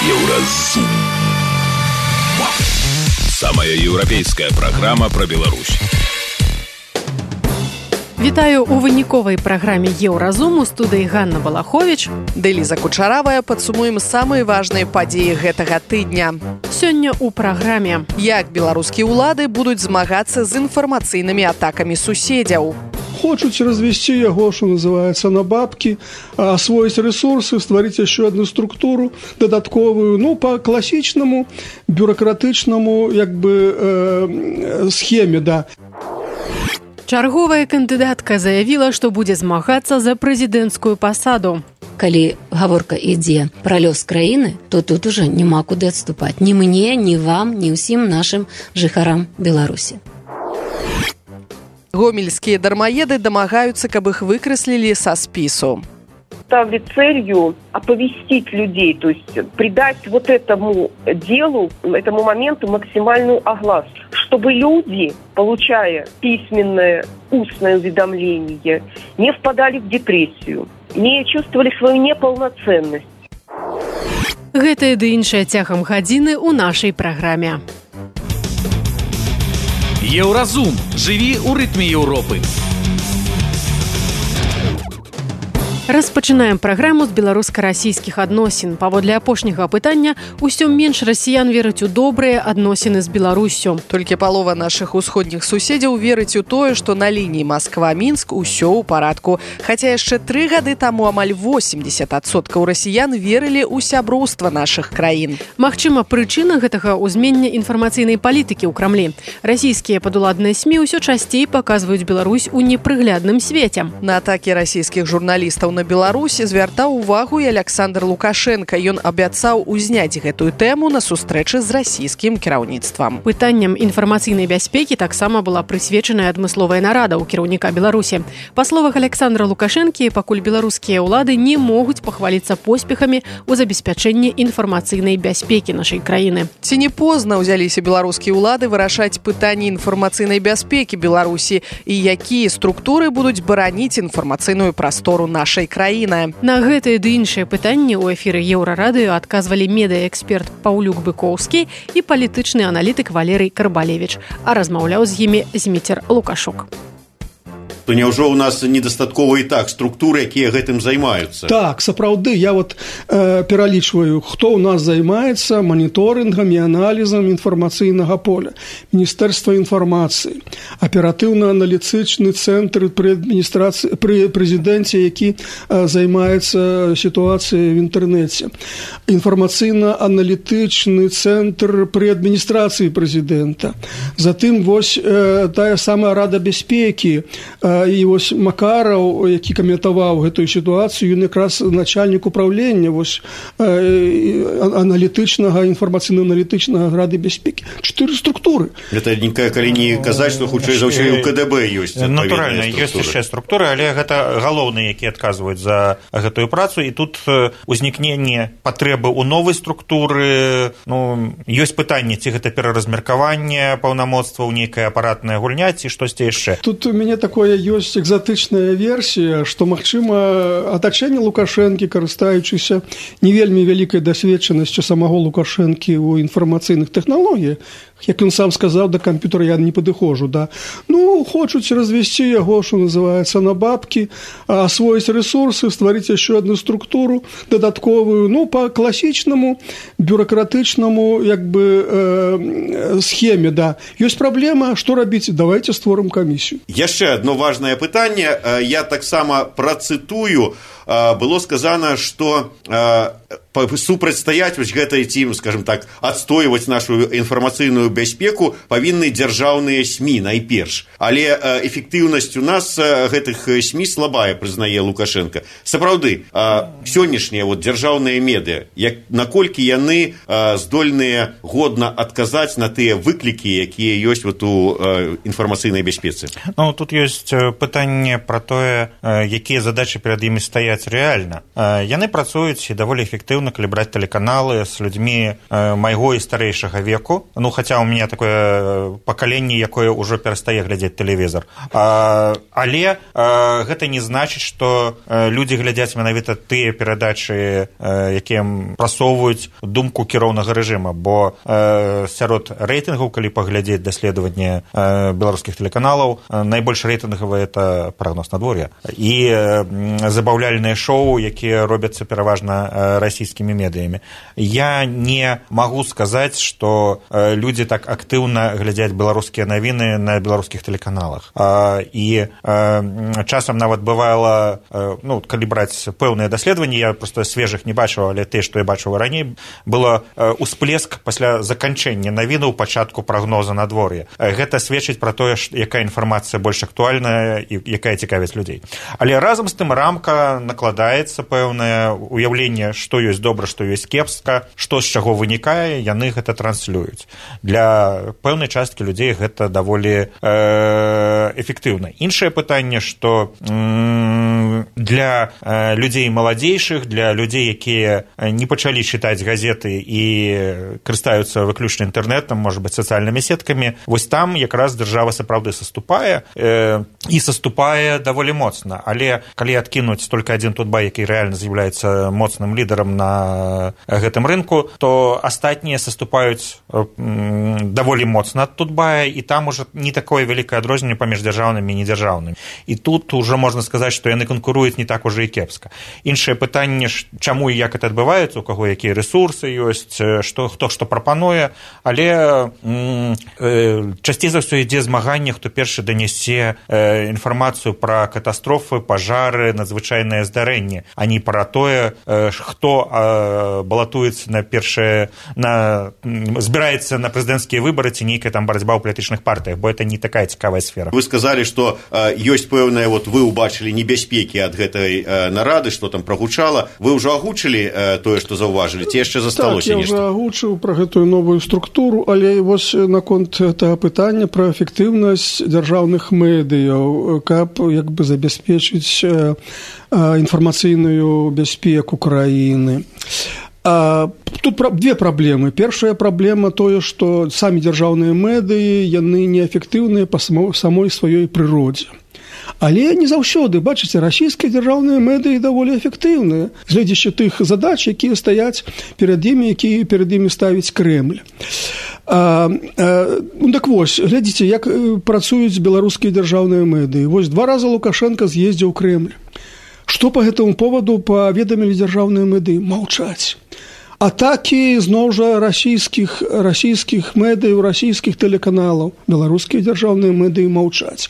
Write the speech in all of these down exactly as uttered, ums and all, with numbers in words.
Еўразум. Самая еўрапейская праграма пра Беларусь. Вітаю у выніковай праграме Еўразум. У студыі Ганна Балахович. Дэліза Кучаравая. Падсумуем самыя важныя падзеі гэтага тыдня. Сёння ў праграме. Як беларускія ўлады будуць змагацца з інфармацыйнымі атакамі суседзяў. Хочуць развести яго, что называется, на бабки, освоить ресурсы, створить еще одну структуру додатковую, ну, по классичному, бюрократичному, як бы, э, схеме, да. Чарговая кандыдатка заявіла, што будзе змагацца за прэзідэнцкую пасаду. Калі гаворка ідзе пра лёс краіны, то тут уже няма куды адступаць. Ні мне, ні вам, ні ўсім нашым жыхарам Беларусі. Гомельские дармоеды домогаются, каб их выкреслили со спису. Ставили целью оповестить людей, то есть придать вот этому делу, этому моменту максимальную огласку, чтобы люди, получая письменное, устное уведомление, не впадали в депрессию, не чувствовали свою неполноценность. Гэтае ды іншае цягам гадзіны ў нашай праграме. Еўразум. Жыві ў рытме Еўропы. Распачынаем праграму з беларуска-расійскіх адносін. Паводле апошняга апытання, усё менш расіян вераць у добрыя адносіны з Беларуссю. Толькі палова нашых усходніх суседзяў верыць у тое, што на лініі Масква-Мінск усё ў парадку. Хаця яшчэ тры гады таму амаль восемьдесят адсоткаў расіян верылі ў сяброўства нашых краін. Магчыма, прычына гэтага ўзмення інфармацыйнай палітыкі ў Крамлі. Расійскія падуладныя СМІ ўсё часцей паказваюць Беларусь у непрыглядным свеце. На атакі расійскіх журналістаў на Беларусі звяртаў увагу і Александр Лукашенко. Ён абяцаў узняць гэтую тэму на сустрэчы з расійскім кіраўніцтвам. Пытанням інфармацыйнай бяспекі таксама была прысвечаная адмысловая нарада ў кіраўніка Беларусі. Па словах Александра Лукашэнкі, пакуль беларускія ўлады не могуць пахваліцца поспехамі ў забеспячэнні інфармацыйнай бяспекі нашай краіны. Ці не позна ўзяліся беларускія ўлады вырашаць пытанні інфармацыйнай бяспекі Беларусі і якія структуры будуць бараніць інфармацыйную прастору нашай краіны. На гэтыя ды іншыя пытанні ў эфіры Еўрарадыё адказвалі медыаэксперт Паўлюк Быкоўскі і палітычны аналітык Валерый Карбалевіч, а размаўляў з імі Зміцер Лукашук. То няўжо ў нас недастаткова і так структуры, якія гэтым займаюцца? Так, сапраўды, я вот э, пералічваю, хто ў нас займаецца маніторынгам і аналізам інфармацыйнага поля. Міністэрства інфармацыі, аператыўна-аналітычны цэнтр пры адміністрацыі, пры прэзідэнце, які э, займаецца сітуацыяй в інтэрнэце. Інфармацыйна-аналітычны цэнтр пры адміністрацыі прэзідэнта. Затым вось э, тая самая Рада бяспекі, э, і вось Макараў, які каментаваў гэтую сітуацыю, ён якраз начальнік управлення вось аналітычнага, інфармацыйна-аналітычнага Рады бяспекі. Чатыры структуры. Гэта нікая, калі не казаць, што хутчэй за ўсё і ў КДБ ёсць. Натуральна, ёсць яшчэ структуры, але гэта галоўныя, якія адказваюць за гэтую працу, і тут узнікненне патрэбы ў новай структуры, ну, ёсць пытанне, ці гэта пераразмеркаванне паўнамоцтваў, нейкая апаратная гульня, ці штосьці яшчэ. Тут у мяне такое ёсць экзатычная версія, што, магчыма, атачэнне Лукашэнкі, карыстаючыся не вельмі вялікай дасведчанасцю самого Лукашэнкі ў інфармацыйных тэхналогіях, як ён сам сказаў, да камп'ютара я не падыходжу, да. Ну, хочуць развести яго, что называется, на бабки, освоить ресурсы, створить еще одну структуру додатковую, ну, по классичному, бюрократичному, як бы, э, схеме, да. Есть проблема, что робить? Давайте створим комиссию. Яшчэ одно важное пытанне, я таксама працытую, было сказано, что супрацьстаяць вось гэтай ці, скажем так, адстойваць нашу інфармацыйную бяспеку павінны дзяржаўныя СМІ найперш. Але эфектыўнасць у нас гэтых СМІ слабая, прызнае Лукашенко. Сапраўды, сённяшнія вот дзяржаўныя медыа, як наколькі яны здольныя годна адказаць на тыя выклікі, якія ёсць вот у інфармацыйнай бяспецы? Ну, тут ёсць пытанне пра тое, якія задачы перад імі стаяць рэальна. Яны працуюць даволі эфектыўна асабна калі браць тэлеканалы з людзьмі майго і старэйшага веку. Ну, хаця ў мяне такое пакаленне, якое ўжо перастае глядзець тэлевізор. Але гэта не значыць, што людзі глядзяць менавіта тыя перадачы, якія прасоўваюць думку кіроўнага рэжыма, бо сярод рэйтынгаў, калі паглядзець даследаванне беларускіх тэлеканалаў, найбольш рэйтынгавыя это прагноз надвор'я і забаўляльныя шоу, якія робяцца пераважна расійскімі медыямі. Я не магу сказаць, што людзі так актыўна глядзяць беларускія навіны на беларускіх тэлеканалах. І часам нават бывала, ну, калі браць пэўныя даследаванні, я проста свежых не бачыў, але те, што я бачыў раней, было усплеск пасля заканчэння навінаў пачатку прагноза надвор'я. Гэта сведчыць пра тое, якая інфармацыя больш актуальная і якая цікавіць людзей. Але разам з тым рамка накладаецца пэўнае уяўленне, што ёсць добра, што ёсць кепска, што з чаго вынікае, яны гэта транслююць. Для пэўнай часткі людзей гэта даволі э, эфектыўна. Іншае пытанне, што м, для э, людзей маладзейшых, для людзей, якія не пачалі чытаць газеты і карыстаюцца выключна інтэрнэтам, можа быць, сацыяльнымі сеткамі, вось там якраз дзяржава сапраўды саступае э, і саступае даволі моцна. Але калі адкінуць толькі адзін Тутбай, які рэальна з'яўляецца моцным лідарам на гэтым рынку, то астатнія саступаюць даволі моцна ад Тутбая, і там уже не такое вялікае адрозненне паміж дзяржаўнымі і недзяржаўнымі. І тут уже можна сказаць, што яны канкуруюць не так уже і кепска. Іншае пытанне, чаму і як это адбываецца, у каго якія рэсурсы ёсць, што, хто што прапануе, але м, э, часцей за ўсё ідзе змаганне, хто першы данясе э, інфармацыю пра катастрофы, пажары, надзвычайнае здарэнне, а не пра тое, э, хто э, балатуецца на першае, на, збіраецца на прэзідэнцкія выбары ці нейкая там барацьба ў палітычных партыях, бо это не такая цікавая сфера. Вы сказалі, што э, ёсць пэўная, вот вы ўбачылі небяспекі ад гэтай э, нарады, што там прагучала. Вы ўжо агучылі э, тое, што заўважылі, ці яшчэ засталося так, нешта? Так, я ўжо агучыў пра гэтую новую структуру, але вось наконт гэтага пытання пра эфектыўнасць дзяржаўных медыяў, каб як бы забяспечыць э, э, інфармацыйную бяспеку краіны. А, тут две праблемы. Першая праблема тое, што самі дзяржаўныя медыі, яны неэфектыўныя па самой сваёй прыродзе. Але не заўсёды, бачыце, расійскія дзяржаўныя медыі даволі эфектыўныя, гледзячы тых задач, якія стаяць перад імі, якія перад імі ставіць Крэмль. А, а, ну так вось, глядзіце, як працуюць беларускія дзяржаўныя медыі. Вось два раза Лукашенко з'ездзіў у Крэмль. Што па гэтаму поводу паведамілі дзяржаўныя медыі? Маўчаць. Атакі, зноў жа, расійскіх, расійскіх медыяў, расійскіх тэлеканалаў. Беларускія дзяржаўныя медыі маўчаць.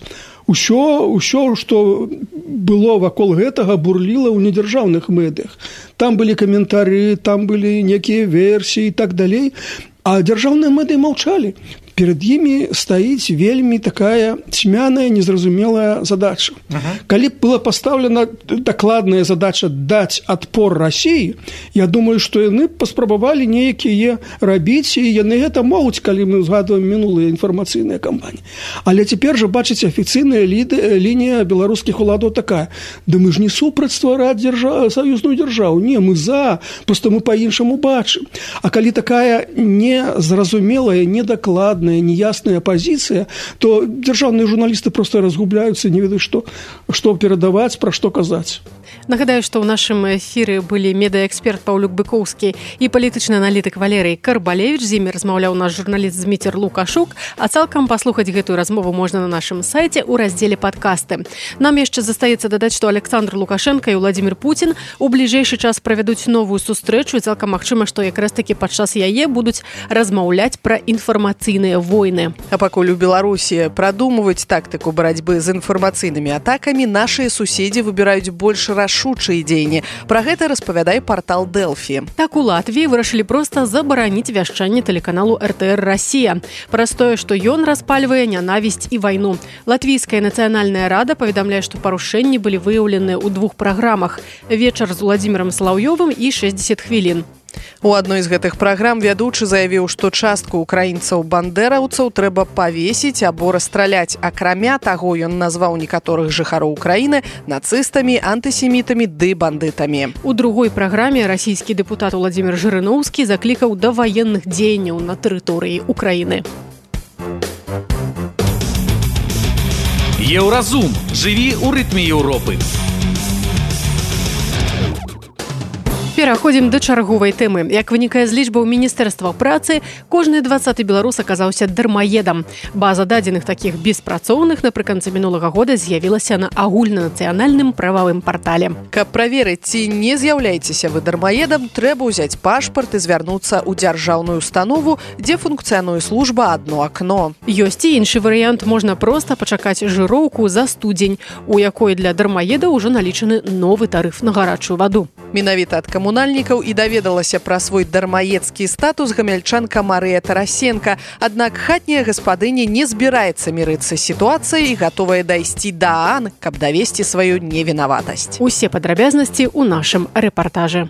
Усё, усё, што было вакол гэтага, бурліла ў недзяржаўных медыях. Там былі каментары, там былі некія версіі і так далей. А дзяржаўныя медыі маўчалі. Перад імі стаіць вельмі такая цьмяная, незразумелая задача. Uh-huh. Калі б была пастаўлена дакладная задача даць адпор Расіі, я думаю, што яны паспрабавалі нейкія рабіць, і яны гэта могуць, калі мы згадваем мінулыя інфармацыйныя кампаніі. Але цяпер жа, бачыце, афіцыйная лінія беларускіх уладаў такая: да мы ж не супраць ствараць дзяржа... саюзную дзяржаву. Не, мы за, проста мы па-іншаму бачым. А калі такая незразумелая, недакладная, неясная пазіцыя, то дзяржаўныя журналісты проста разгубляюцца, не ведаюць, што, што перадаваць, пра што казаць. Нагадаю, што ў нашым эфіры былі медыаэксперт Паўлюк Быкоўскі і палітычны аналітык Валерый Карбалевіч. З імі размаўляў наш журналіст Зміцер Лукашук, а цалкам паслухаць гэтую размову можна на нашым сайце ў раздзеле падкасты. Нам яшчэ застаецца дадаць, што Александр Лукашенко і Владзімір Пуцін у бліжэйшы час правядуць новую сустрэчу, і цалкам магчыма, што якраз такі падчас яе будуць размаўляць пра інфармацыйныя войны. А пакуль у Беларусі прадумваюць тактыку барацьбы з інфармацыйнымі атакамі, нашыя суседзі выбіраюць больш рашучыя дзеянні. Пра гэта распавядае партал Дэлфі. Так у Латвіі вырашылі проста забараніць вяшчанне тэлеканалу эр тэ эр Расія. Праз тое, што ён распальвае нянавісць і вайну. Латвійская нацыянальная рада паведамляе, што парушэнні былі выяўлены ў двух праграмах: «Вечар з Владзімірам Салаўёвым» і «шэсцьдзесят хвілін». У адной з гэтых праграм вядучы заявіў, што частку украінцаў-бандэраўцаў трэба павесіць або расстраляць. Акрамя таго, ён назваў некаторых жыхароў Украіны нацыстамі, антысемітамі ды бандытамі. У другой праграме расійскі дэпутат Владзімір Жырыноўскі заклікаў да ваенных дзеянняў на тэрыторыі Украіны. Еўразум. Жыві ў рытме Еўропы. Пераходзім да чарговай тэмы. Як вынікае з лічбаў Міністэрства працы, кожны дваццаты беларус аказаўся дармаедам. База дадзеных такіх беспрацоўных напрыканцы мінулага года з'явілася на агульнанацыянальным прававым партале. Каб праверыць, ці не з'яўляецеся вы дармаедам, трэба ўзяць пашпарт і звярнуцца ў дзяржаўную установу, дзе функцыянуе служба «Адно акно». Ёсць і іншы варыянт. Можна проста пачакаць жыроўку за студзень, у якой для дармаедаў ужо налічаны новы тарыф на гарачую ваду. Менавіта ад камунальнікаў і даведалася пра свой дармаедскі статус гамяльчанка Марыя Тарасенка. Аднак хатняя гаспадыня не збіраецца мірыцца з сітуацыяй і гатовая дайсці да ААН, каб давесці сваю невінаватасць. Усе падрабязнасці ў нашым рэпартажы.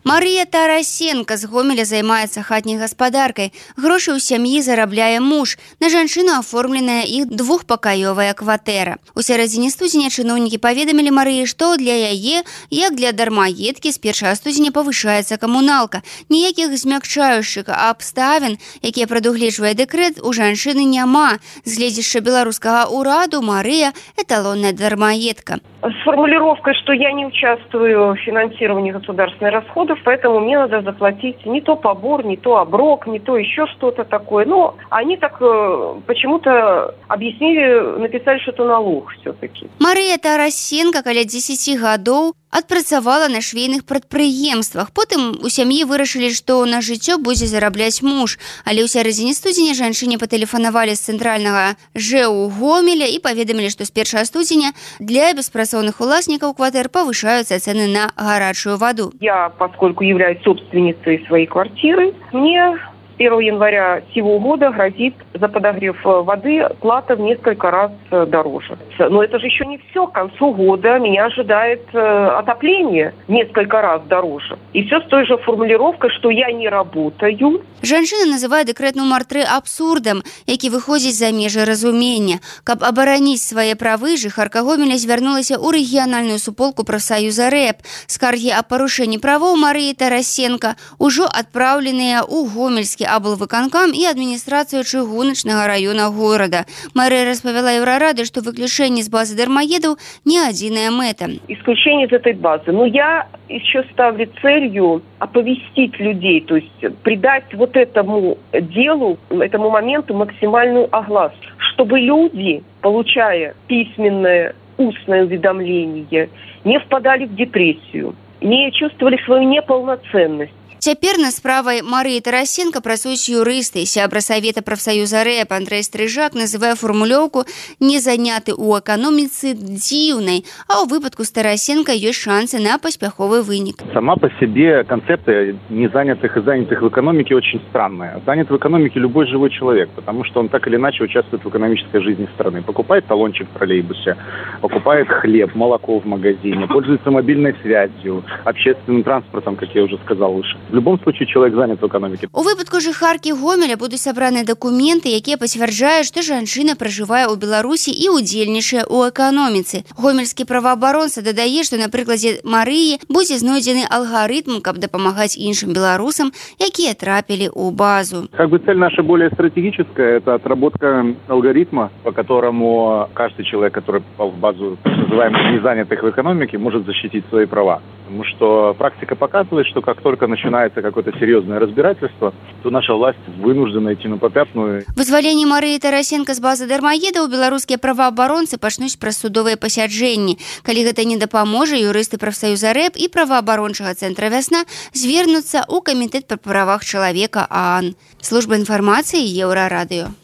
Марыя Тарасенка з Гомеля займаецца хатняй гаспадаркай. Грошы ў сям'і зарабляе муж. На жанчыну аформленая іх двухпакаёвая кватэра. У сярэдзіне студзеня чыноўнікі паведамілі Марыі, што для яе, як для дармаедкі, з першага студзеня павышаецца камуналка. Ніякіх змякчаючых абставін, якія прадугледжвае дэкрэт, у жанчыны няма. З гледзяшча беларускага ўраду Марыя – эталонная дармаедка. С формулировкой, что я не участвую в финансировании государственных расходов, поэтому мне надо заплатить не то побор, не то оброк, не то еще что-то такое. Но они так э, почему-то объяснили, написали, что это налог все-таки. Марыя Тарасенка каля дзесяці гадоў адпрацавала на швейных прадпрыемствах. Потым у сям'і вырашылі, што на жыццё будзе зарабляць муж. Але ў сярэдзіне студзеня жанчыне патэлефанавалі з цэнтральнага ЖЭУ Гомеля і паведамілі, што з першага студзеня для беспрацоўных уласнікаў кватэр павышаюцца цены на гарачую ваду. Я, поскольку являюсь собственницей своей квартиры, мне с первого января сего года грозит за подогрев воды плата в несколько раз дороже. Но это же еще не все. К концу года меня ожидает отопление в несколько раз дороже. И все с той же формулировкой, что я не работаю. Жанчына называе дэкрэт нумар тры абсурдам, які выходзіць за межы разумення. Каб абараніць свае правы, жыхарка Гомеля звярнулася ў рэгіянальную суполку прафсаюза РЭП. Скаргі аб парушэнні правоў Марыі Тарасенка ўжо адпраўленыя ў Гомельскі аблвыканкам і адміністрацыю чыгуначнага раёна горада. Марыя распавяла Еўрарады, што выключэнне з базы дармаедаў не адзіная мэта. Исключение из этой базы. Но я еще ставлю целью оповестить людей, то есть придать вот этому делу, этому моменту максимальную огласку, чтобы люди, получая письменное, устное уведомление, не впадали в депрессию, не чувствовали свою неполноценность. Цяпер на справай Марыі Тарасенка працуюць юрысты. Сябра савета прафсаюза РЭП Андрэй Стрыжак называе формулёўку «не заняты ў эканоміцы» дзіўнай, а ў выпадку з Тарасенка ёсць шансы на паспяховы вынік. Сама по себе концепция незанятых и занятых в экономике очень странная. Занят в экономике любой живой человек, потому что он так или иначе участвует в экономической жизни страны. Покупает талончик в троллейбусе, покупает хлеб, молоко в магазине, пользуется мобильной связью, общественным транспортом, как я уже сказал выше. В любом случае человек занят в экономике. У выпадку жыхаркі Гомеля будуць сабраны дакументы, якія пацвярджаюць, што жанчына пражывае ў Беларусі і ўдзельнічае ў эканоміцы. Гомельскі праваабаронца дадае, што на прыкладзе Марыі будзе знойдзены алгарытм, каб дапамагаць іншым беларусам, якія трапілі ў базу. Как бы цель наша более стратегическая, это отработка алгоритма, по которому каждый человек, который попал в базу называемых незанятых в экономике, может защитить свои права. Потому что практика показывает, что как только начинается какое-то серьезное разбирательство, то наша власть вынуждена идти на попятную. Вызваленне Марыі Тарасенка з базы дармаедаў беларускія праваабаронцы пачнуць праз судовыя пасяджэнні. Калі гэта не дапаможа, юрысты прафсаюза РЭП і праваабарончага цэнтра «Вясна» звернуцца ў камітэт па правах чалавека ААН. Служба інфармацыі Еўрарадыё.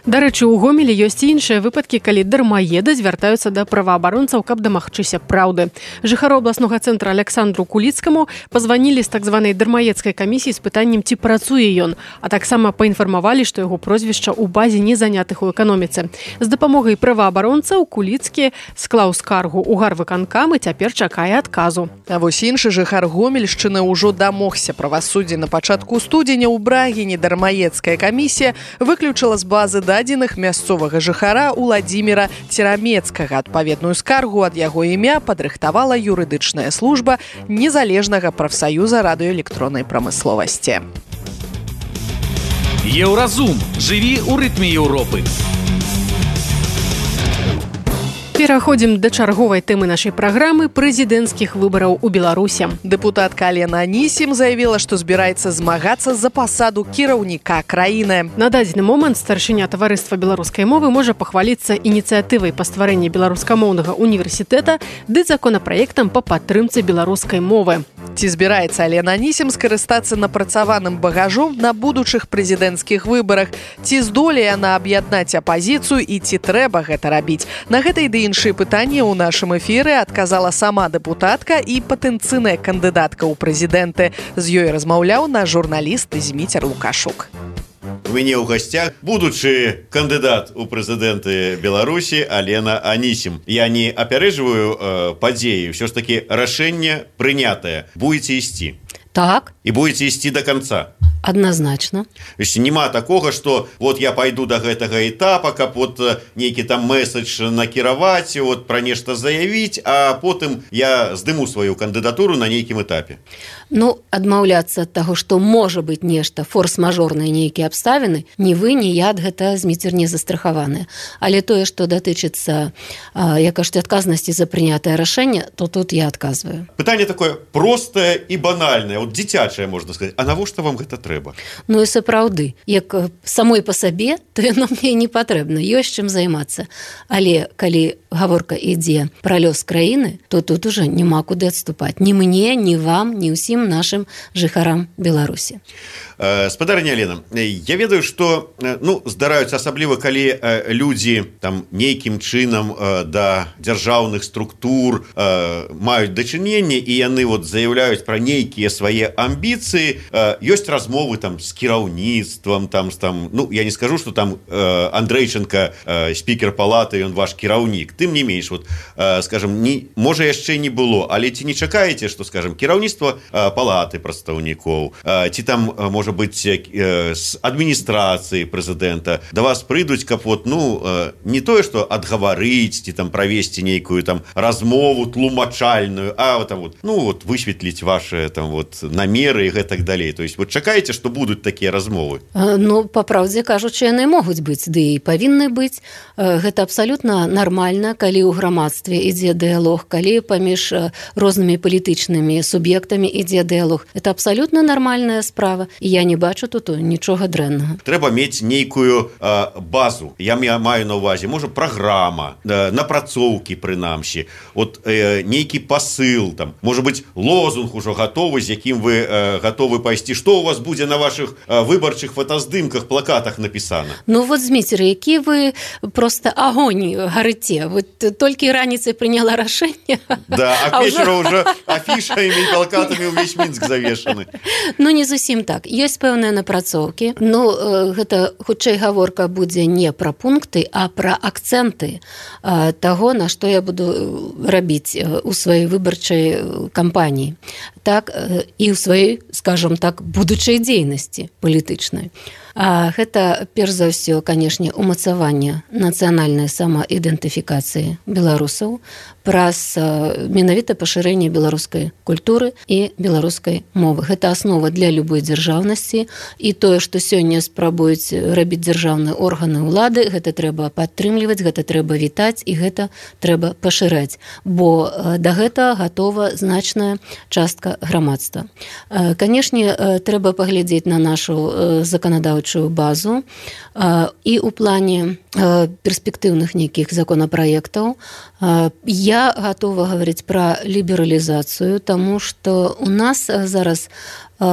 Дарэчы, у Гомелі ёсць і іншыя выпадкі, калі дармаеды звяртаюцца да праваабаронцаў, каб дамагчыся праўды. Жыхару абласнога цэнтра Александру Куліцкаму пазванілі з так званай дармаедскай камісіі з пытаннем, ці працуе ён, а таксама паінфармавалі, што яго прозвішча ў базе не занятых у эканоміцы. З дапамогай праваабаронцаў Куліцкі склаў скаргу ў гарвыканкам і цяпер чакае адказу. А вось іншы жыхар Гомельшчыны ўжо дамогся правасуддзя. На пачатку студзеня ў Брагіне дармаедская камісія выключыла з базы дадзеных мясцовага жыхара Уладзіміра Церамецкага. Адпаведную скаргу ад яго імя падрыхтавала юрыдычная служба незалежнага прафсаюза радыёэлектроннай прамысловасці. Еўразум. Жыві ў рытме Еўропы. Пераходзім да чарговай тэмы нашай праграмы прэзідэнцкіх выбараў у Беларусі. Дэпутатка Алена Анісім заявіла, што збіраецца змагацца за пасаду кіраўніка краіны. На дадзены момант старшыня таварыства беларускай мовы можа пахваліцца ініцыятывай па стварэнні беларускамоўнага універсітэта ды законапраектам па падтрымцы беларускай мовы. Ці збіраецца Алена Анісім скарыстацца напрацаваным багажом на будучых прэзідэнцкіх выбарах? Ці здолее яна аб'яднаць апазіцыю і ці трэба гэта рабіць? На гэтай ды іншыя пытанні ў нашым эфіры адказала сама дэпутатка і патэнцыйная кандыдатка ў прэзідэнты. З ёй размаўляў наш журналіст Зміцер Лукашук. У мяне ў гасцях будучы кандыдат у прэзідэнты Беларусі Алена Анісім. Я не апярэджваю э, падзеі, ўсё ж такі рашэнне прынятае. Будзеце ісці. Так. І будзеце ісці да канца. Адназначна. Няма такога, што вот я пайду да гэтага этапа, каб вот нейкі там месседж накіраваць, вот пра нешта заявіць, а потым я здыму сваю кандыдатуру на нейкім этапе. Ну, адмаўляцца ад таго, што можа быць нешта, форс-мажорныя нейкія абставіны, ні вы, ні я ад гэта Зміцер не застрахаваныя. Але тое, што датычыцца, як кажуць, адказнасці за прынятае рашэнне, то тут я адказваю. Пытанне такое простае і банальнае, вот дзіцячае, можна сказаць. А навошта вам гэта трэба? Ну і сапраўды, як самой па сабе, то яно мне не патрэбна, ёсць чым займацца. Але калі гаворка ідзе пра лёс краіны, то тут уже няма куды адступаць. Ні мне, ні вам, ні ўсім нашим жыхарам Беларусі. Спадарня Алена, я ведаю, што ну, здараюцца асабліва, калі людзі там нейкім чынам да дзяржаўных структур маюць дачыненне і яны вот заяўляюць пра нейкія свае амбіцыі, ёсць размовы там з кіраўніцтвам, там, там, ну, я не скажу, што там Андрэйченка, спікер палаты, ён ваш кіраўнік. Тым не менш, вот, скажем, не, можа яшчэ не было, але ці не чакаеце, што, скажем, кіраўніцтва палаты прадстаўнікоў, ці там, можа быць, з адміністрацыі прэзідэнта да вас прыйдуць, каб вот, ну, не тое, што адгаварыць, ці там правесці нейкую там размову тлумачальную, а там вот, ну, вот, высветліць ваши там вот намеры і гэтак далей. То есть, вот чакаеце, што будуць такія размовы? Ну, па праўдзе кажучы, яны могуць быць, ды і павінны быць. Гэта абсалютна нармальна, калі ў грамадстве ідзе дыялог, калі паміж рознымі палітычнымі суб'ектамі ідзе дыялог. Это абсалютна нармальная справа, і я не бачу тут нічога дрэннага. Трэба мець нейкую э, базу. Я маю на ўвазе, можа, праграма, э, напрацоўкі прынамсі, от э, нейкі пасыл, там, можа быць, лозунг ужо гатовы, з якім вы э, гатовы пайсці. Што у вас будзе на вашых э, выбарчых фотаздымках, плакатах напісана? Ну вот, Зміцер, які вы просто агонь гарыце. Вот толькі раніцай прыняла рашэнне. Да, а к вечару ўжо афішамі і плакатамі ўвесь Мінск завешаны. Ну, не зусім так. Ёсць пэўныя напрацоўкі. Ну, гэта хутчэй гаворка будзе не пра пункты, а пра акцэнты таго, на што я буду рабіць у сваёй выбарчай кампаніі. Так, і ў сваёй, скажам так, будучай дзейнасці палітычнай. А гэта, перш за ўсё, канешне, умацаванне нацыянальнай самаідэнтыфікацыі беларусаў праз менавіта пашырэнне беларускай культуры і беларускай мовы. Гэта аснова для любой дзяржаўнасці, і тое, што сёння спрабуюць рабіць дзяржаўныя органы ўлады, гэта трэба падтрымліваць, гэта трэба вітаць і гэта трэба пашыраць, бо да гэта гатова значная частка грамадства. Канешне, трэба паглядзець на нашу заканадаўчую базу і ў плане перспектыўных нейкіх законапраектаў. Я гатова гаварыць пра лібералізацыю, таму што у нас зараз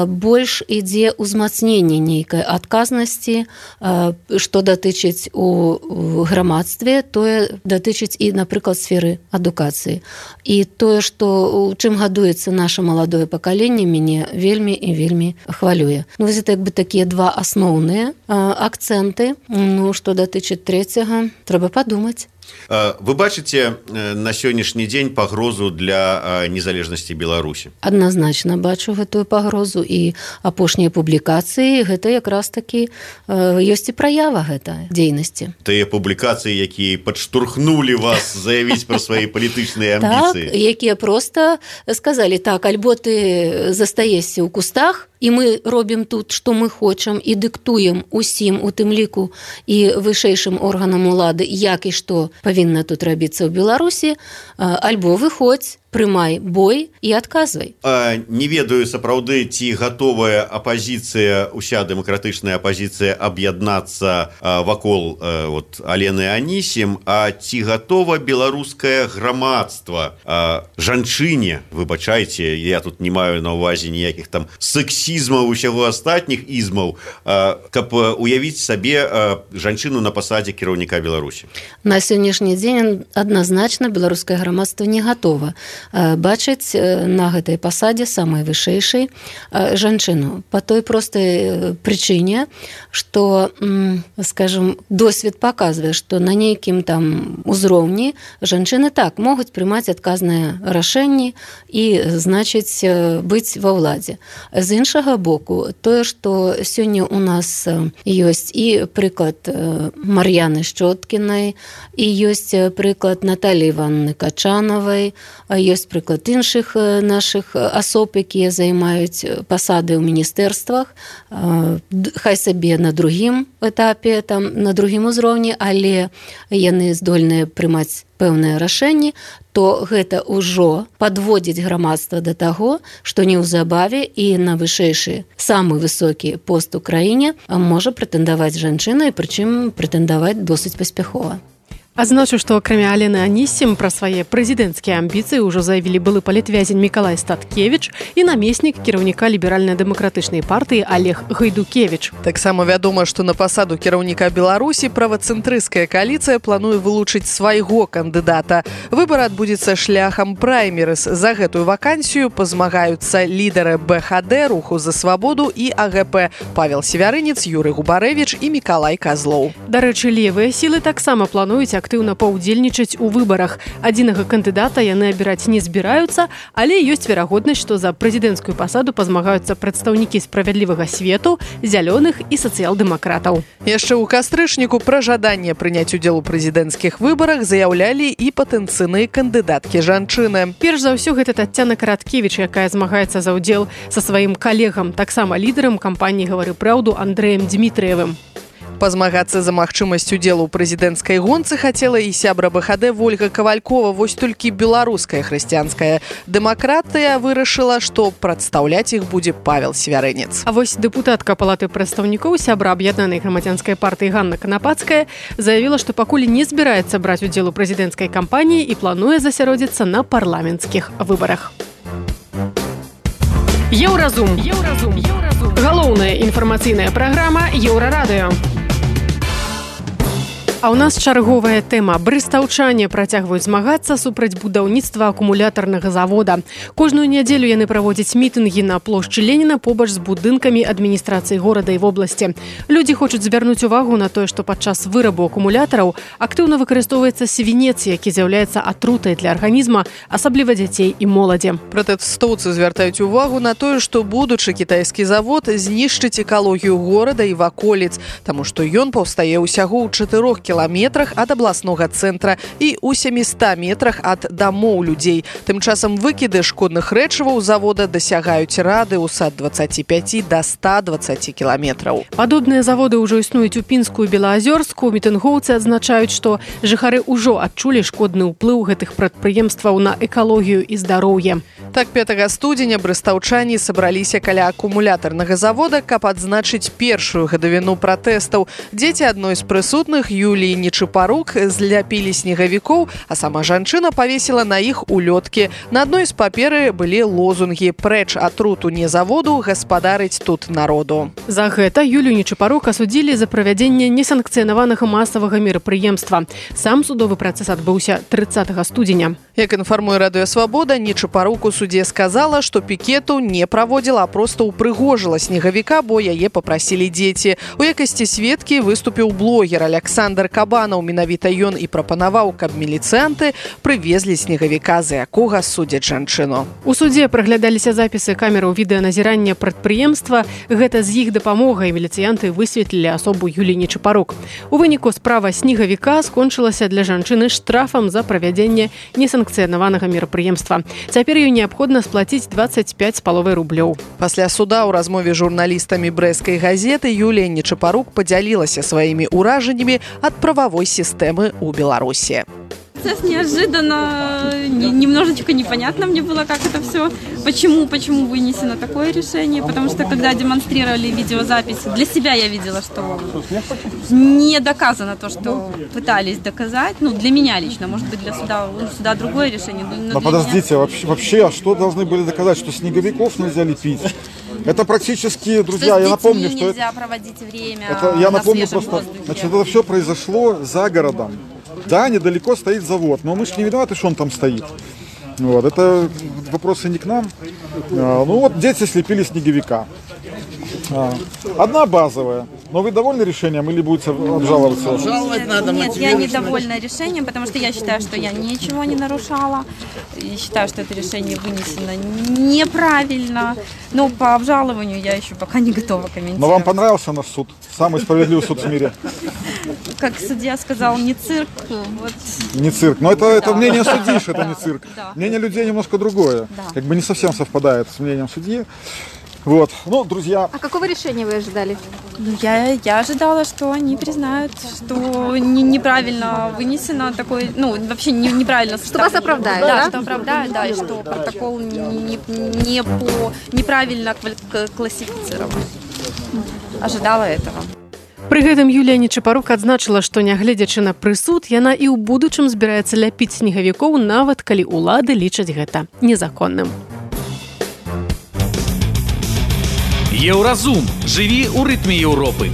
больш ідзе ўзмацненне нейкай адказнасці, што датычыць у грамадстве, тое датычыць і, напрыклад, сферы адукацыі. І тое, што чым гадуецца наша маладое пакаленне, мяне вельмі і вельмі хвалюе. Ну, вось это як бы такія два асноўныя акцэнты. Ну, што датычыць трэцяга, трэба падумаць. Вы бачыце на сённяшні дзень пагрозу для незалежнасці Беларусі? Адназначна бачу гэтую пагрозу, і апошнія публікацыі гэта якраз такі ёсць і праява гэта дзейнасці. Тыя публікацыі, якія падштурхнулі вас заявіць пра свае палітычныя амбіцыі. Так, якія проста сказалі, так, альбо ты застаешся ў кустах, і мы робім тут, што мы хочам, і дыктуем усім, у тым ліку і вышэйшым органам улады, як і што павінна тут рабіцца ў Беларусі, альбо выходзь, прымай бой і адказвай. Не ведаю, сапраўды, ці гатовая апазіцыя, уся дэмакратычная апазіцыя аб'яднацца вакол вот, Алены Анісім, а ці гатова беларускае грамадства жанчыне, выбачайце, я тут не маю на ўвазе ніякіх там сексізмаў, усяго астатніх ізмаў, каб уявіць сабе жанчыну на пасадзе кіраўніка Беларусі? На сённяшні дзень адназначна беларускае грамадства не гатова бачыць на гэтай пасадзе самай вышэйшай жанчыну. Па той простай прычыне, што, скажем, досвед паказвае, што на нейкім там узроўні жанчыны так могуць прымаць адказныя рашэнні і, значыць, быць ва ўладзе. З іншага боку, тое, што сёння у нас ёсць і прыклад Мар'яны Шчоткінай, і ёсць прыклад Наталі Івановны Качанавай, ёсць прыклад іншых нашых асоб, якія займаюць пасады ў міністэрствах, хай сабе на другім этапе, там, на другім узроўні, але яны здольныя прымаць пэўныя рашэнні, то гэта ўжо падводзіць грамадства да таго, што неўзабаве і на вышэйшы, самы высокі пост у краіне можа прэтэндаваць жанчына, і прычым прэтэндаваць досыць паспяхова. Адзначу, што акрамя Алены Анісім пра свае прэзідэнцкія амбіцыі ўжо заявілі былы палітвязень Мікалай Статкевіч і намеснік кіраўніка ліберальна-дэмакратычнай партыі Олег Гайдукевіч. Таксама вядома, што на пасаду кіраўніка Беларусі правацэнтрысцкая кааліцыя плануе вылучыць свайго кандыдата. Выбар адбудзецца шляхам праймерыс. За гэтую вакансію пазмагаюцца лідары бэ ха дэ, Руху за свабоду і а гэ пэ Павел Севярынец, Юрый Губарэвіч і Мікалай Казлоў. Дарэчы, левыя сілы таксама плануюць актыўна паўдзельнічаць у выбарах. Адзінага кандыдата яны абіраць не збіраюцца, але ёсць верагоднасць, што за прэзідэнцкую пасаду пазмагаюцца прадстаўнікі справядлівага свету, зялёных і сацыял-дэмакратаў. Яшчэ ў кастрычніку пра жаданне прыняць удзел у прэзідэнцкіх выбарах заяўлялі і патэнцыйныя кандыдаткі жанчыны. Перш за ўсё, гэта Таццяна Караткевіч, якая змагаецца за ўдзел са сваім калегам, таксама лідарам кампаніі «Гавары праўду» Андрэем Дмітрыевым. Пазмагацца за магчымасць удзелу ў прэзідэнцкай гонцы хацела і сябра бэ ха дэ Вольга Кавалькова, вось толькі беларуская хрысціянская дэмакратыя вырашыла, што прадстаўляць іх будзе Павел Севярынец. А вось дэпутатка палаты прадстаўнікоў, сябра аб'яднанай грамадзянскай партыі Ганна Канапацкая заявіла, што пакуль не збіраецца браць удзел у прэзідэнцкай кампаніі і плануе засяродзіцца на парламенцкіх выбарах. Еўразум. Еўразум. Еўразум. Галоўная інфармацыйная праграма Еўрарадыё. А ў нас чарговая тэма. Брыстаўчане працягваюць змагацца супраць будаўніцтва акумулятарнага завода. Кожную нядзелю яны праводзяць мітынгі на плошчы Леніна побач з будынкамі адміністрацыі горада і вобласці. Людзі хочуць звярнуць увагу на тое, што падчас вырабу акумулятараў актыўна выкарыстоўваецца свінец, які з'яўляецца атрутай для арганізма, асабліва дзяцей і моладзі. Пратэстоўцы звяртаюць увагу на тое, што будучы кітайскі завод знішчыць экалогію горада і ваколіц, таму што ён паўстае ўсяго ў чатырох кіламетрах ад абласнога цэнтра і ў сяміста метрах ад дамоў людзей. Тым часам выкіды шкодных рэчываў завода дасягаюць радыуса ад дваццаці пяці да ста дваццаці кіламетраў. Падобныя заводы ўжо існуюць у Пінску і Белаазёрску. Мітынгоўцы адзначаюць, што жыхары ўжо адчулі шкодны ўплыў гэтых прадпрыемстваў на экалогію і здароўе. Так, пятага студзеня брыстаўчане сабраліся каля акумулятарнага завода, каб адзначыць першую гадавіну пратэстаў. Дзеці адной з прысутных, Юлі Юліі Нечапарук зляпілі снегавікоў, а сама жанчына павесіла на іх улёткі. На адной з паперы былі лозунгі «Прэч атруту не заводу, гаспадарыць тут народу». За гэта Юлію Нечапарук асудзілі за правядзенне несанкцыянаванага масавага мерапрыемства. Сам судовы працэс адбыўся трыццатага студзеня. Як інфармуе Радыё Свабода, Нечапарук у суде сказала, што пікету не праводзіла, а проста ўпрыгожыла снегавіка, бо яе папрасілі дзеці. У якасці сведкі выступіў блогер Александр Кабанаў. Менавіта ён і прапанаваў, каб міліцыянты прывезлі снегавіка, за якога судзяць жанчыну. У судзе праглядаліся запісы камераў відэаназірання прадпрыемства. Гэта з іх дапамогай міліцыянты высветлілі асобу Юліі Нечапарук. У выніку справа снегавіка скончылася для жанчыны штрафам за правядзенне несанкцыянаванага мерапрыемства. Цяпер ёй неабходна сплаціць дваццаць пяць з паловай рублёў. Пасля суда ў размове з журналістамі брэсцкай газеты Юлія Нечапарук падзялілася сваімі ўражаннямі ад правовой системы у Беларуси. Процесс неожиданно, немножечко непонятно мне было, как это все, почему, почему вынесено такое решение, потому что когда демонстрировали видеозаписи, для себя я видела, что не доказано то, что пытались доказать, ну для меня лично, может быть для суда, у суда другое решение. Но, но подождите, меня... вообще, вообще, а что должны были доказать, что снеговиков нельзя лепить? Это практически, друзья, что я напомню, что нельзя проводить время. Это, я на напомню просто, воздухе. Значит, это все произошло за городом. Да, недалеко стоит завод, но мы же не виноваты, что он там стоит. Вот, это вопросы не к нам. А, ну вот дети слепили снеговика. А, одна базовая. Но вы довольны решением или будете обжаловаться? Обжаловать надо. Нет, я недовольна решением, потому что я считаю, что я ничего не нарушала. И считаю, что это решение вынесено неправильно. Но по обжалованию я еще пока не готова комментировать. Но вам понравился наш суд? Самый справедливый суд в мире? Как судья сказал, не цирк. Вот. Не цирк. Но это, да. это мнение судьи, что это не цирк. Да. Мнение людей немножко другое. Да. Как бы не совсем совпадает с мнением судьи. Вот, ну, друзья... А какого решения вы ожидали? Ну, я, я ожидала, что они признают, что не, неправильно вынесено такое, ну, вообще не, неправильно... Что вас оправдают, да? Да, что оправдают, да, и что протокол не, не, не по, неправильно классифицирован. Ожидала этого. Пры гэтым Юлія Нечапарук адзначыла, што нягледзячы на прысуд, яна і ў будучым збіраецца ляпіць снегавікоў, нават калі ўлады лічаць гэта незаконным. Еўразум. Жыві ў рытме Еўропы.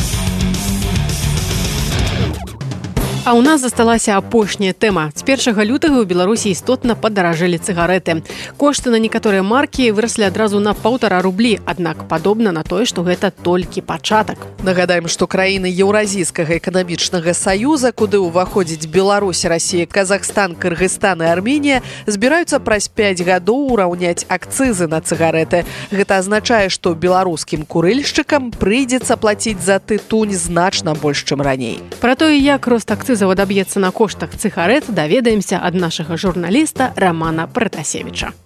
А ў нас засталася апошняя тэма. З першага лютага ў Беларусі істотна падаражэлі цыгарэты. Кошты на некаторыя маркі выраслі адразу на паўтара рублі, аднак падобна на тое, што гэта толькі пачатак. Нагадаем, што краіны Еўразійскага эканамічнага саюза, куды ўваходзіць Беларусь, Расія, Казахстан, Кыргызстан і Арменія, збіраюцца праз пяць гадоў ураўняць акцызы на цыгарэты. Гэта азначае, што беларускім курыльшчыкам прыйдзецца плаціць за тытунь значна больш, чым раней. Пра тое, як рост акцызаў адаб'ецца на коштах цыгарэт, даведаемся ад нашага журналіста Романа Пратасевіча.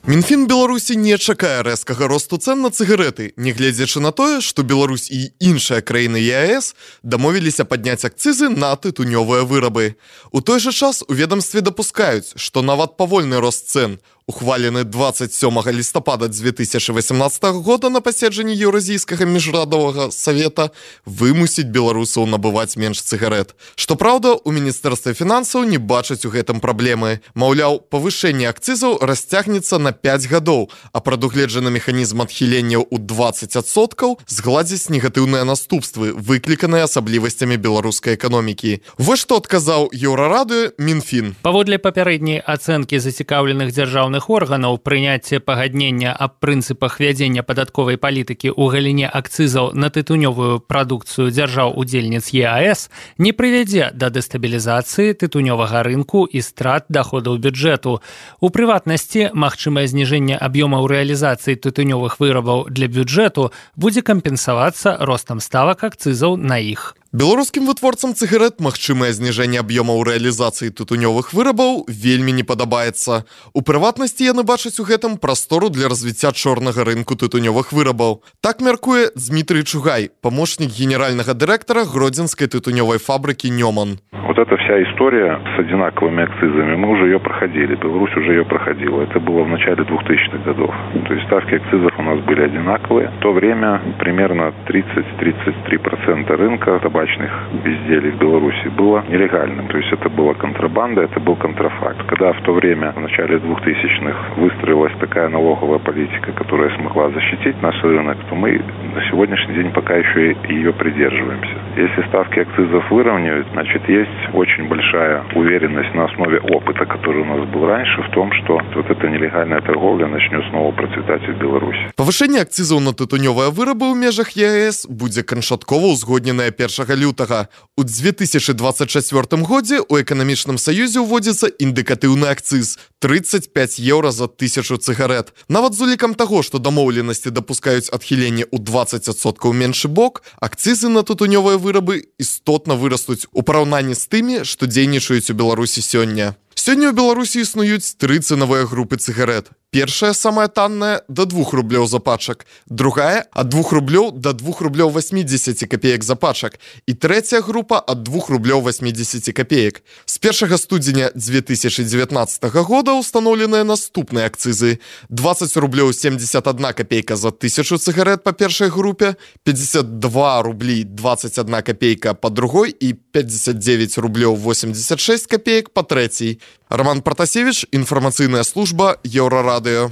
Мінфін Беларусі не чакае рэзкага росту цэн на цыгарэты, нягледзячы на тое, што Беларусь і іншыя краіны ЕАЭС дамовіліся падняць акцызы на тытунёвыя вырабы. У той жа час у ведамстве дапускаюць, што нават павольны рост цэн, ухвалены двадцать сёмага лістапада дзве тысячы васямнаццатага года на паседжанні Еўразійскага міжрадовага савета, вымусіць беларусаў набываць менш цыгарэт. Што праўда, у міністэрстве фінансаў не бачаць у гэтым праблемы. Маўляў, павышэнне акцызаў расцягнецца на пяць гадоў, а прадугледжаны механізм адхіленняў у двадцать адсоткаў згладзіць негатыўныя наступствы, выкліканыя асаблівасцямі беларускай эканомікі. Вось што адказаў Еўрараду Мінфін. Паводле папярэдняй ацэнкі зацікаўленых дзяржаўных органаў, прыняцце пагаднення аб прынцыпах вядзення падатковай палітыкі ў галіне акцызаў на тытунёвую прадукцыю дзяржаў-удзельніц ЕАЭС не прывядзе да дэстабілізацыі тытунёвага рынку і страт даходаў бюджэту. У прыватнасці, магчымае зніжэнне аб'ёмаў рэалізацыі тытунёвых вырабаў для бюджэту будзе кампенсавацца ростам ставак акцызаў на іх. Беларускім вытворцам цыгарэт магчымае зніжэнне аб'ёмаў рэалізацыі тытунёвых вырабаў вельмі не падабаецца. У прыватнасці яны бачаць у гэтым прастору для развіцця чорнага рынку тытунёвых вырабаў. Так мяркуе Дмітрый Чугай, памочнік генеральнага дырэктара гродзенскай тытунёвай фабрыкі «Нёман». Вот эта вся история с одинаковыми акцизами, мы уже ее проходили, Беларусь уже ее проходила. Это было в начале двухтысячных годов. То есть ставки акцизов у нас были одинаковые. В то время примерно тридцать-тридцать три процента рынка табачных безделий в Беларуси было нелегальным. То есть это была контрабанда, это был контрафакт. Когда в то время, в начале двухтысячных, выстроилась такая налоговая политика, которая смогла защитить наш рынок, то мы на сегодняшний день пока еще ее придерживаемся. Если ставки акцизов выровняют, значит, есть очень большая уверенность на основе опыта, который у нас был раньше, в том, что вот эта нелегальная торговля начнет снова процветать в Беларуси. Павышэнне акцызаў на тытунёвыя вырабы ў межах ЕС будзе канчаткова ўзгодненае першага лютага. У две тысячи двадцать чацвёртым годзе ў эканамічным саюзе ўводзіцца індыкатыўны акцыз тридцать пять еўра за тысячу цыгарэт. Нават з улікам таго, што дамоўленасці дапускаюць адхіленне ў двадцать адсоткаў меншы бок, акцызы на тытунёвыя вырабы істотна вырастуць у параўнанні з тымі, што дзейнічаюць у Беларусі сёння. Сёння ў Беларусі існуюць тры цэнавыя групы цыгарэт. Першая, самая танная, до двух рублёў за пачак. Другая, от двух рублёў до двух рублёў восьмидесяти копеек за пачак. И третья группа от двух рублёў восьмидесяти копеек. С первого студеня две тысячи девятнадцатого года установлены наступные акцизы. двадцать рублёў семьдесят одна копейка за тысячу цыгарет по первой группе, пятьдесят два рубли двадцать одна копейка по другой и пятьдесят девять рублёў восемьдесят шесть копеек по третьей. Роман Протасевич, информационная служба Еўрарадыё.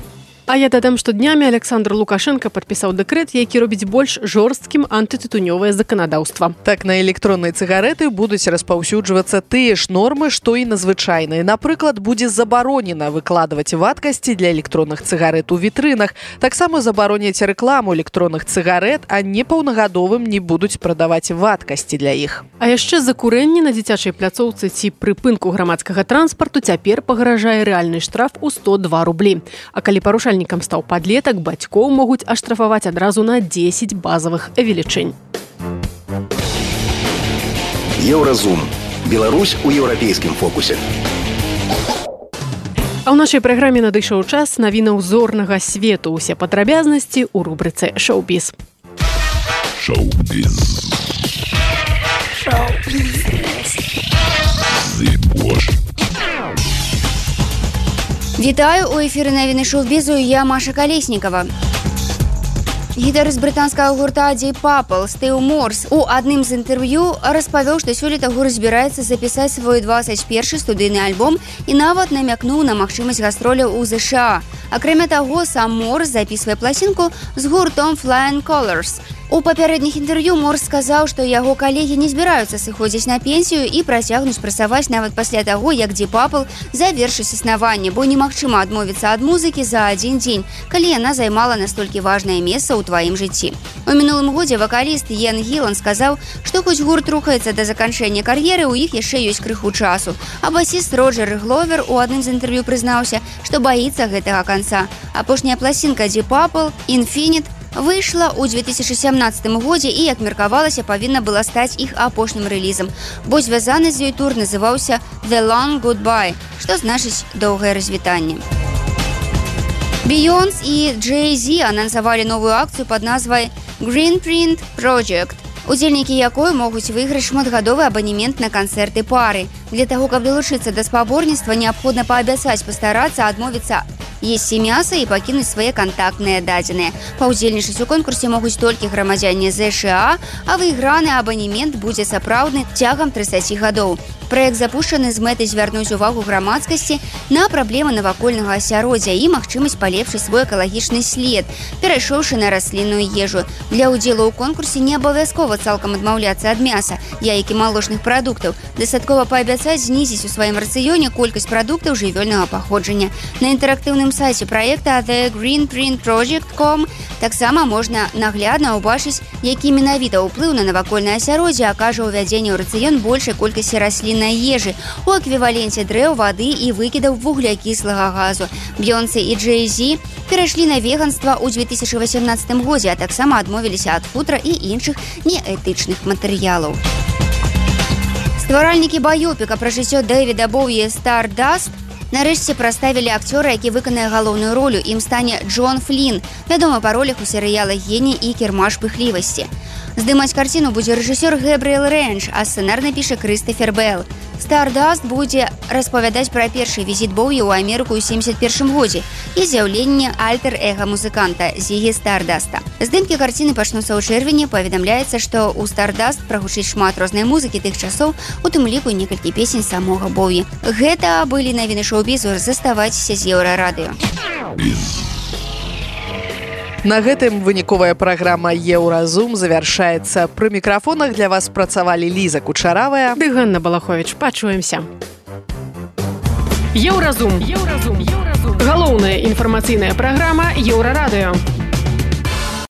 А я дадам, што днямі Александр Лукашенко падпісаў дэкрэт, які робіць больш жорсткім антытытунёвае заканадаўства. Так, на электронныя цыгареты будуць распаўсюджвацца тыя ж нормы, што і на звычайныя. Напрыклад, будзе забаронена выкладваць вадкасці для электронных цыгарет у вітрынах. Таксама забароняць рэкламу электронных цыгарет, а непаўнагадовым не будуць прадаваць вадкасці для іх. А яшчэ за курэнне на дзіцячай пляцоўцы ці прыпынку грамадскага транспарту цяпер пагражае рэальны штраф у сто два рублі. А калі парушальнік стаў падлетак, бацькоў могуць аштрафаваць адразу на дзесяць базавых велічынь. Еўразум. Беларусь у еўрапейскім фокусе. А ў нашай праграме надышоў час навінаў зорнага свету. Усе падрабязнасці ў рубрыцы «Шоу-біз». Шоу-біз. Шоу-біз. Зыбош. Вітаю, у эфіры навіны шоу-бізу, я Маша Калеснікава. Гітарыст брытанскага гурта Deep Purple Стив Морс у адным з інтэрв'ю распавёў, што сёлета гурт збіраецца запісаць свой двадцать першы студыйны альбом і нават намякнуў на магчымасць гастроляў у ЗША. Акрамя таго, сам Морс запісвае пласінку з гуртом Flying Colours. У папярэдніх інтэрв'ю Морс сказаў, што яго калегі не збіраюцца сыходзіць на пенсію і працягнуць працаваць нават пасля таго, як Deep Purple завершыць існаванне, бо немагчыма адмовіцца ад музыкі за адзін дзень, калі яна займала настолькі важнае месца ў тваім жыцці. У мінулым годзе вакаліст Йен Гілан сказаў, што хоць гурт рухаецца да заканчэння кар'еры, у іх яшчэ ёсць крыху часу. А басіст Роджер Гловер у адным з інтэрв'ю прызнаўся, што баіцца гэтага канца. Апошняя пласінка Deep Purple «Infinite» выйшла ў две тысячи сямнадцатым годзе і, як меркавалася, павінна была стаць іх апошнім рэлізам, бо звязаны з ёй тур называўся «The Long Goodbye», што значыць «доўгае развітанне». Бейонс і Джей-Зі анансавалі новую акцыю пад назвай «Green Print Project», удзельнікі якой могуць выйграць шматгадовы абанемент на канцэрты пары. Для таго, каб далучыцца да спаборніцтва, неабходна паабяцаць пастарацца адмовіцца есці мяса і пакінуць свае кантактныя дадзеныя. Паўдзельнічаць у конкурсе могуць толькі грамадзяне ЗША, а выйграны абанемент будзе сапраўдны цягам трыццаці гадоў. Праект запушчаны з мэтай звярнуць увагу грамадскасці на праблемы навакольнага асяроддзя і магчымасць палепшыць свой экалагічны след, перайшоўшы на раслінную ежу. Для ўдзелу ў конкурсе не абавязкова цалкам адмаўляцца ад мяса, яек і малочных прадуктаў. Дастаткова паабяцаць знізіць у сваім рацыёне колькасць прадуктаў жывёльнага паходжання. На інтэрактыўным сайце праекта The Green Print Project точка ком таксама можна наглядна ўбачыць, які менавіта ўплыў на навакольнае асяроддзе акажа ўвядзенне ў рацыён большай колькасці расліннай ежы у эквіваленце дрэў, вады і выкідаў вуглякіслага газу. Бейонс і Джей-Зі перайшлі на веганства ў две тысячи восемнадцатым годзе, а таксама адмовіліся ад футра і іншых неэтычных матэрыялаў. Стваральнікі баёпіка пра жыццё Дэвіда Боуі «Stardust» нарэшце праставілі акцёра, які выканае галоўную ролю. Ім стане Джон Флін, вядомы па ролях у серыялах «Геній» і «Кірмаш пыхлівасці». Здымаць карціну будзе рэжысёр Гэбріэл Рэнч, а сцэнар напіша Крыстофер Белл. Stardust будзе распавядаць пра першы візіт Боуі ў Амерыку ў семьдесят першым годзе і з'яўленне альтер-эга музыканта Зігі Стардаста. Здымкі карціны пачнуцца ў чэрвені, паведамляецца, што ў Stardust прагучыць шмат рознай музыкі тых часоў, у тым ліку некалькі песень самога Боуі. Гэта былі навіны шоу-бізу, заставайцеся з Еўрарадыё. На гэтым выніковая праграма «Еўразум» завяршаецца. Пры мікрафонах для вас працавалі Ліза Кучаравая ды Ганна Балаховіч. Пачуемся. Еўразум. Еўразум. Галоўная інфармацыйная праграма Еўрарадыё.